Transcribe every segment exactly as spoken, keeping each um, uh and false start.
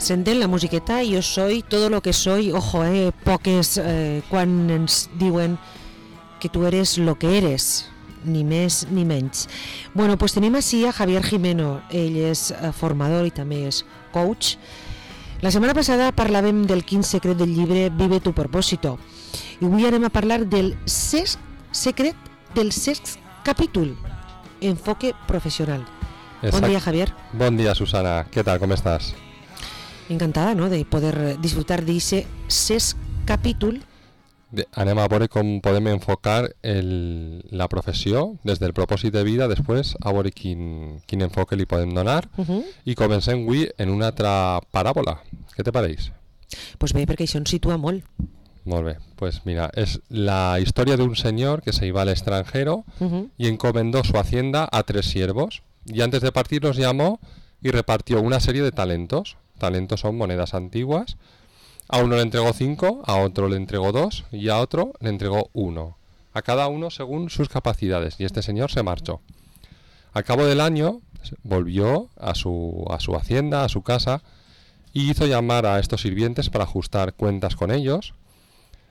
senten la musiqueta Yo soy todo lo que soy. Ojo, eh, poques eh, quan ens diuen que tu eres lo que eres, ni més ni menys. Bueno, pues tenim així a Javier Jimeno. Ell és eh, formador i també és coach. La setmana passada parlàvem del quin secret del llibre Vive tu propósito. I avui anem a parlar del sexto secret del sexto capítol, enfoque profesional. Exacte. Bon dia, Javier. Bon dia, Susana. ¿Qué tal? ¿Cómo estás? Encantada, ¿no?, de poder disfrutar d'ese sexto capítol. De, anem a veure com podem enfocar el, la professió des del propòsit de vida, després a veure quin, quin enfoque li podem donar. Uh-huh. I comencem avui en una altra paràbola. Què te pareix? Pues bé, perquè això ens situa molt. Molt bé, pues mira, es la historia de un señor que se iba al extranjero uh-huh. y encomendó su hacienda a tres siervos y antes de partir los llamó y repartió una serie de talentos. Talentos son monedas antiguas. A uno le entregó cinco, a otro le entregó dos y a otro le entregó uno. A cada uno según sus capacidades, y este señor se marchó. Al cabo del año volvió a su, a su hacienda, a su casa, y hizo llamar a estos sirvientes para ajustar cuentas con ellos.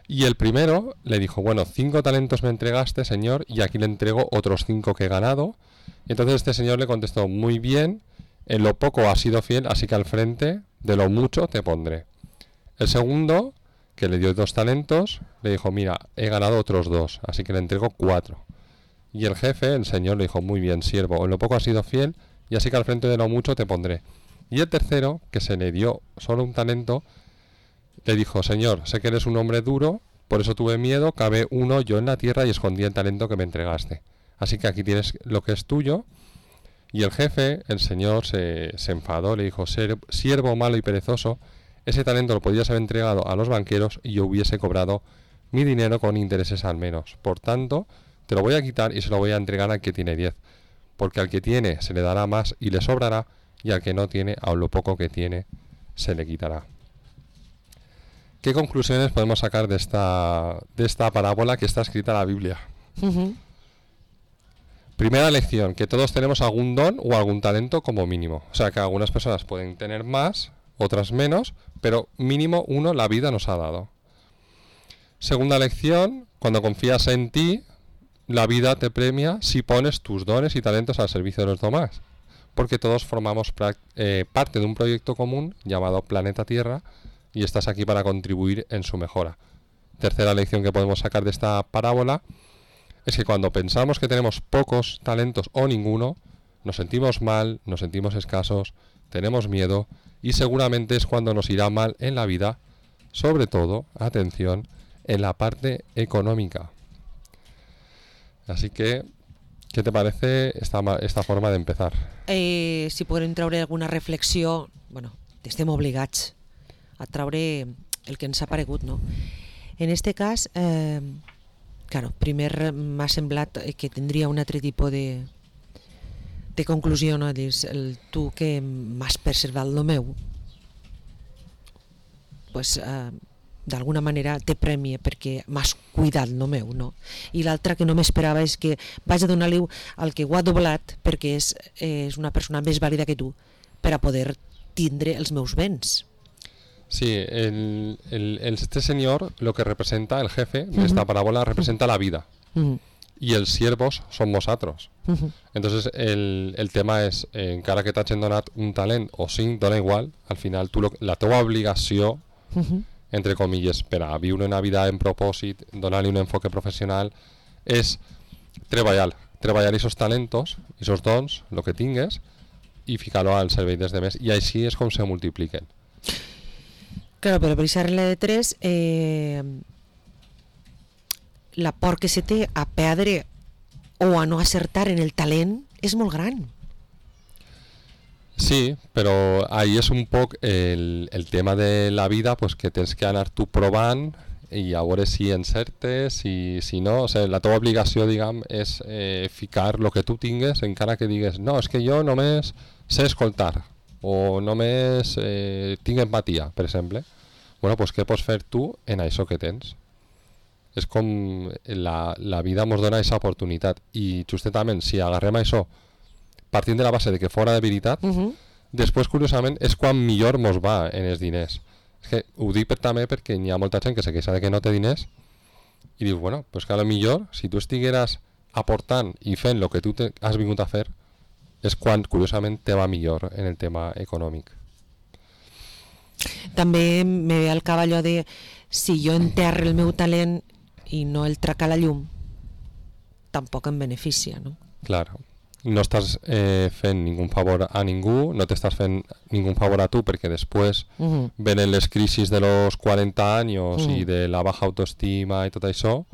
Y el primero le dijo, bueno, cinco talentos me entregaste, señor, y aquí le entrego otros cinco que he ganado. Y entonces este señor le contestó, muy bien, en lo poco has sido fiel, así que al frente de lo mucho te pondré. El segundo, que le dio dos talentos, le dijo, mira, he ganado otros dos, así que le entrego cuatro. Y el jefe, el señor, le dijo, muy bien, siervo, en lo poco has sido fiel, y así que al frente de lo mucho te pondré. Y el tercero, que se le dio solo un talento, le dijo, señor, sé que eres un hombre duro, por eso tuve miedo, cavé uno yo en la tierra y escondí el talento que me entregaste. Así que aquí tienes lo que es tuyo. Y el jefe, el señor, se, se enfadó, le dijo, siervo malo y perezoso, ese talento lo podías haber entregado a los banqueros y yo hubiese cobrado mi dinero con intereses al menos. Por tanto, te lo voy a quitar y se lo voy a entregar al que tiene diez. Porque al que tiene se le dará más y le sobrará, y al que no tiene, aun lo poco que tiene, se le quitará. ¿Qué conclusiones podemos sacar de esta, de esta parábola que está escrita en la Biblia? Uh-huh. Primera lección, que todos tenemos algún don o algún talento como mínimo. O sea, que algunas personas pueden tener más, otras menos, pero mínimo uno la vida nos ha dado. Segunda lección, cuando confías en ti, la vida te premia si pones tus dones y talentos al servicio de los demás. Porque todos formamos eh, parte de un proyecto común llamado Planeta Tierra, y estás aquí para contribuir en su mejora. Tercera lección que podemos sacar de esta parábola es que cuando pensamos que tenemos pocos talentos o ninguno, nos sentimos mal, nos sentimos escasos, tenemos miedo y seguramente es cuando nos irá mal en la vida, sobre todo, atención, en la parte económica. Así que, ¿qué te parece esta, esta forma de empezar? Eh, si podem treure alguna reflexió, bueno, estem obligats a traure el que ens ha paregut, no? En este cas, eh, claro, primer m'ha semblat que tindria un altre tipus de, de conclusió, no? Dius, el, tu que m'has preservat lo meu, pues, eh, d'alguna manera te premia perquè m'has cuidat lo meu, no? I l'altra que no m'esperava és que vaig a donar-li al que ho ha doblat perquè és, és una persona més vàlida que tu per a poder tindre els meus béns. Sí, el, el, este señor lo que representa, el jefe de uh-huh. esta parábola, representa la vida. Uh-huh. Y els siervos són vosaltres. Uh-huh. Entonces el, el tema és, eh, encara que t'hagin donat un talent o cinc, dona igual, al final tu lo, la teva obligació, uh-huh. entre comillas, per a viure una vida en propòsit, donar-li un enfoque professional, és treballar, treballar esos talentos, esos dons, lo que tingues, i ficar-lo al servei dels demés, i així és com se multipliquen. Claro, pero por esa regla de tres, eh, la por que se té a perdre o a no acertar en el talent és molt gran. Sí, però ahí és un poc el, el tema de la vida, pues que tens que anar tu provant i a veure si encertes, si, si no, o sigui, la teva obligació, diguem, és eh, ficar el que tu tingues, encara que digues, no, és que jo només sé escoltar, o només eh, tinc empatia, per exemple. Bueno, pues què pots fer tu en això que tens? És com la, la vida ens dona aquesta oportunitat, i justament si agarrem això partint de la base de que fora de veritat, uh-huh. després, curiosament, és quan millor mos va en els diners. És que ho dic per, també perquè hi ha molta gent que se queixa de que no té diners i dius, bueno, pues que a lo millor, si tu estigueras aportant i fent el que tu te has vingut a fer, és quan, curiosament, te va millor en el tema econòmic. També me ve al cap allò de si jo enterro el meu talent i no el trac a la llum, tampoc em beneficia, no? Clar, no estàs eh, fent ningú favor a ningú, no t'estàs fent ningú favor a tu perquè després uh-huh. venen les crisis de los cuarenta años uh-huh. y de la baja autoestima i tot això,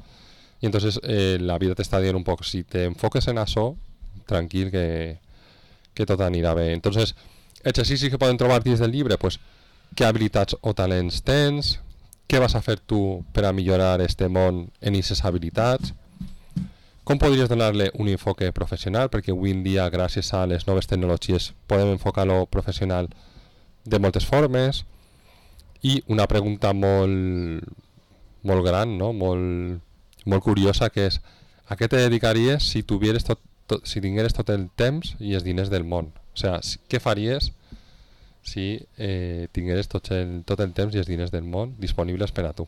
i entonces eh, la vida t'està dient un poc, si te enfoques en això, tranquil que, que tot anirà bé. Entonces, exercicis que poden trobar dins del llibre, pues, què habilitats o talents tens, què vas a fer tu per a millorar este món en aquestes habilitats, com podries donar-li un enfoque professional, perquè avui en dia, gràcies a les noves tecnologies, podem enfocar-lo professional de moltes formes, i una pregunta molt, molt gran, no? molt, molt curiosa, que és a què te dedicaries si, tuvieres tot, tot, si tingueres tot el temps i els diners del món? O sigui, què faries si eh, tingueres tot el, tot el temps i els diners del món disponibles per a tu?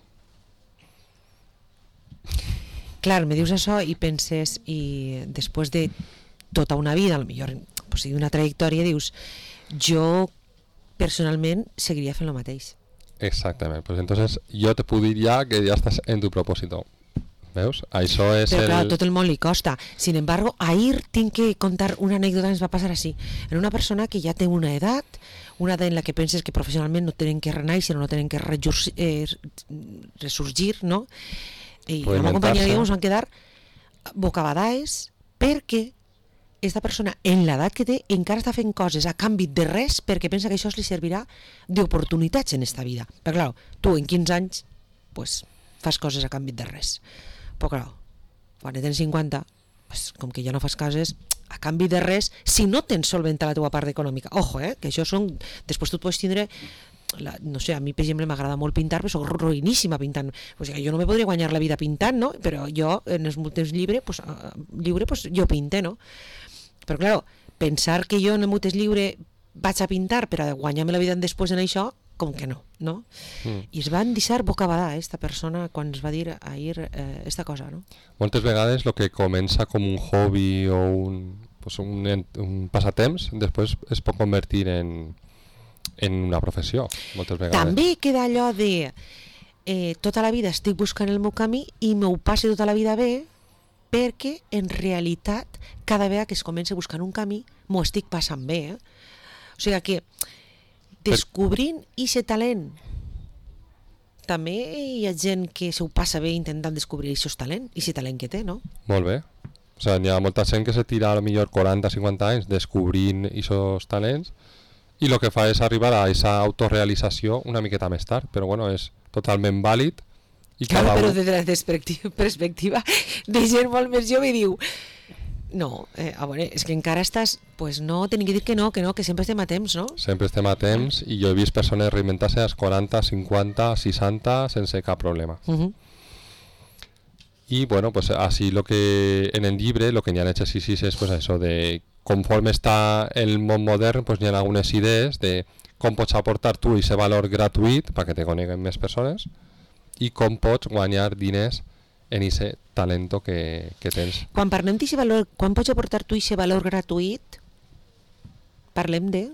Clar, me dius això i penses, i després de tota una vida, potser pues, una trajectòria, dius, jo personalment seguiria fent el mateix. Exactament, pues entonces jo te puc dir ja que ja estàs en tu propòsito. Veus? Això és Però el... clar, tot el món li costa. Sin embargo, ahir tinc que contar una anécdota que ens va passar així. En una persona que ja té una edat, una edat en la que penses que professionalment no tenen que renar, sinó no tenen que rejur- eh, resurgir, no? I la meva companyia i ens van quedar bocabadats perquè aquesta persona en l'edat que té encara està fent coses a canvi de res perquè pensa que això li servirà d'oportunitats en esta vida. Però clar, tu en quinze anys pues, fas coses a canvi de res. Però clar, quan tens cinquanta, pues, com que ja no fas coses a canvi de res si no tens solventat la teva part econòmica. Ojo, eh, que això són... Després tu pots tindre... La, no sé, a mi per exemple m'agrada molt pintar, però soc ruïníssima pintant, o sigui, jo no me podria guanyar la vida pintant, no? Però jo en els temps lliure, pues, uh, lliure pues, jo pinte, no? Però clar, pensar que jo en el meu temps lliure vaig a pintar per a guanyar-me la vida després en això, com que no, no? Mm. I es van deixar bocabadar esta persona quan es va dir ahir eh, esta cosa, no? Moltes vegades el que comença com un hobby o un, pues un, un passatemps després es pot convertir en en una professió, moltes vegades. També queda allò de eh, tota la vida estic buscant el meu camí i m'ho passi tota la vida bé perquè en realitat cada vegada que es comença buscant un camí m'ho estic passant bé, eh? O sigui que descobrint aquest talent, també hi ha gent que s'ho passa bé intentant descobrir aquest talent, aquest talent que té, no? Molt bé. O sigui, hi ha molta gent que se tira a lo millor quaranta o cinquanta anys descobrint aquests talents i el que fa és arribar a aquesta autorealització una miqueta més tard, però bueno, és totalment vàlid. I claro, cada però un... des de la perspectiva, perspectiva de gent molt més jove diu no, eh, a veure, és que encara estàs, pues no, tenim que dir que no, que no, que sempre estem a temps, no? Sempre estem a temps i jo he vist persones reinventar-se als quaranta, cinquanta, seixanta sense cap problema. Uh-huh. I bueno, pues así lo que en el llibre, lo que hi ha exercicis és pues això de conforme està el món modern, pues hi ha algunes idees de com pots aportar tu aquest valor gratuït perquè te coneguen més persones i com pots guanyar diners en aquest talento que, que tens. Quan parlem d'aquest valor, quan pots aportar tu aquest valor gratuït, parlem de...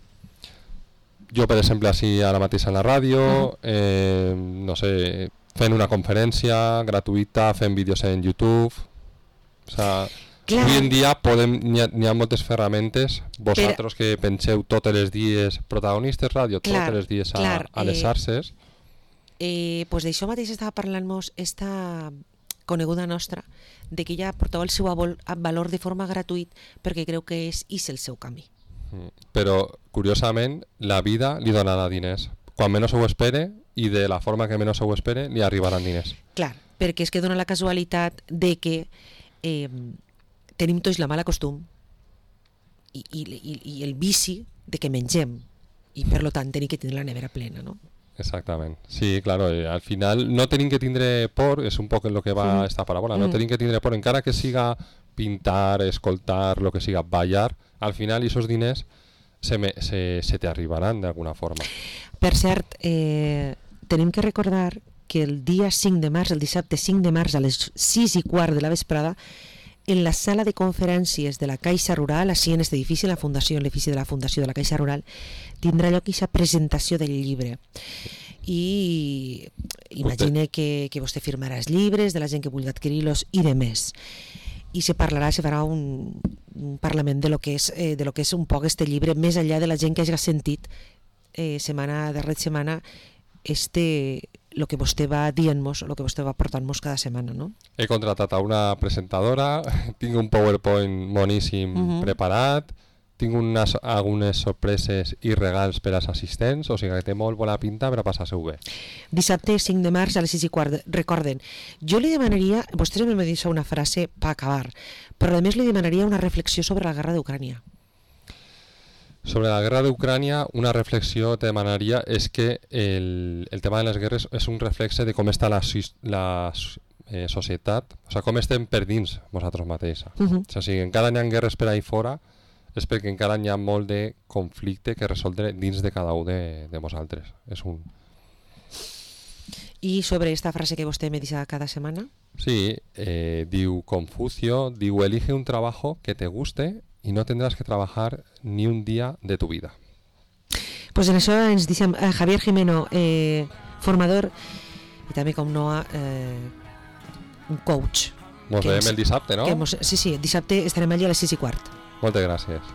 Jo, per exemple, així ara mateix a la ràdio, uh-huh. eh, no sé, fent una conferència gratuïta, fent vídeos en YouTube, o sigui... Clar. Avui en dia podem, n'hi ha, n'hi ha moltes ferramentes, vosaltres per... que penseu tots els dies, protagonistes ràdio, tots els dies a, clar, a les xarxes. Eh, eh, pues d'això mateix estava parlant-nos esta coneguda nostra, de que ella portava el seu valor de forma gratuït perquè creu que és, és el seu camí. Mm. Però, curiosament, la vida li donarà diners. Quan menys ho espere i de la forma que menys ho espere, li arribaran diners. Clar, perquè és que dona la casualitat de que eh, tenim tots la mala costum i, i, i, i el vici de que mengem i per lo tant tenim que tindre la nevera plena, no? Exactament, sí, claro, eh, al final no tenim que tindre por, és un poc en lo que va mm. esta paràbola, no mm. tenim que tindre por, encara que siga pintar, escoltar, lo que siga, ballar, al final esos diners se, me, se, se te arribaran d'alguna forma. Per cert, eh, tenim que recordar que el dia cinc de març, el dissabte cinc de març a les sis i quart de la vesprada, en la sala de conferències de la Caixa Rural, així en aquest edifici, en la fundació, en l'edifici de la Fundació de la Caixa Rural, tindrà lloc aquesta presentació del llibre. I imagine que, que vostè firmarà els llibres de la gent que vulgui adquirir-los i de més. I se parlarà, se farà un, un parlament de lo que és, eh, de lo que és un poc este llibre, més enllà de la gent que hagi sentit eh, setmana darrere setmana este, lo que vostè va dient-nos, lo que vostè va portant-nos cada setmana, no? He contratat a una presentadora, tinc un PowerPoint moníssim uh-huh. preparat, tinc unes, algunes sorpreses i regals per als assistents, o sigui que té molt bona pinta per a passar-se-ho bé. Dissabte cinc de març a les sis i quart. Recorden, jo li demanaria, vostès m'han dit una frase per acabar, però a més li demanaria una reflexió sobre la guerra d'Ucrània. Sobre la guerra d'Ucrània, una reflexió te demanaria és que el, el tema de les guerres és un reflexe de com està la, la eh, societat, o sigui, com estem per dins nosaltres mateixos. Uh-huh. O sigui, encara n'hi ha guerres per ahí fora, és perquè encara n'hi ha molt de conflicte que resoldre dins de cada un de, de nosaltres. És un... I sobre esta frase que vostè me dice cada setmana? Sí, eh, diu Confucio, diu, elige un trabajo que te guste y no tendrás que trabajar ni un día de tu vida. Pues en això ens deixem eh, Javier Jimeno, eh, formador i també com no eh, un coach. Mos veiem el dissabte, no? Mos, sí, sí, dissabte estarem allà a les sis i quart. Moltes gràcies.